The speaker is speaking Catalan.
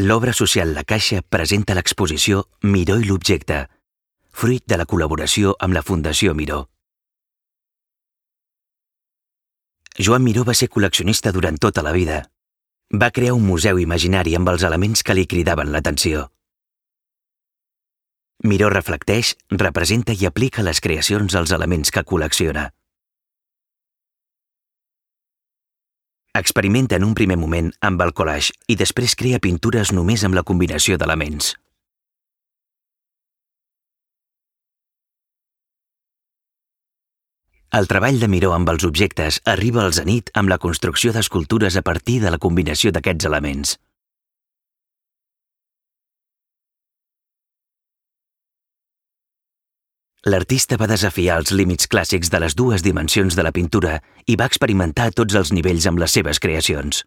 L'obra social La Caixa presenta l'exposició Miró i l'objecte, fruit de la col·laboració amb la Fundació Miró. Joan Miró va ser col·leccionista durant tota la vida. Va crear un museu imaginari amb els elements que li cridaven l'atenció. Miró reflecteix, representa i aplica les creacions als elements que col·lecciona. Experimenta en un primer moment amb el collage i després crea pintures només amb la combinació d'elements. El treball de Miró amb els objectes arriba al zenit amb la construcció d'escultures a partir de la combinació d'aquests elements. L'artista va desafiar els límits clàssics de les dues dimensions de la pintura i va experimentar a tots els nivells amb les seves creacions.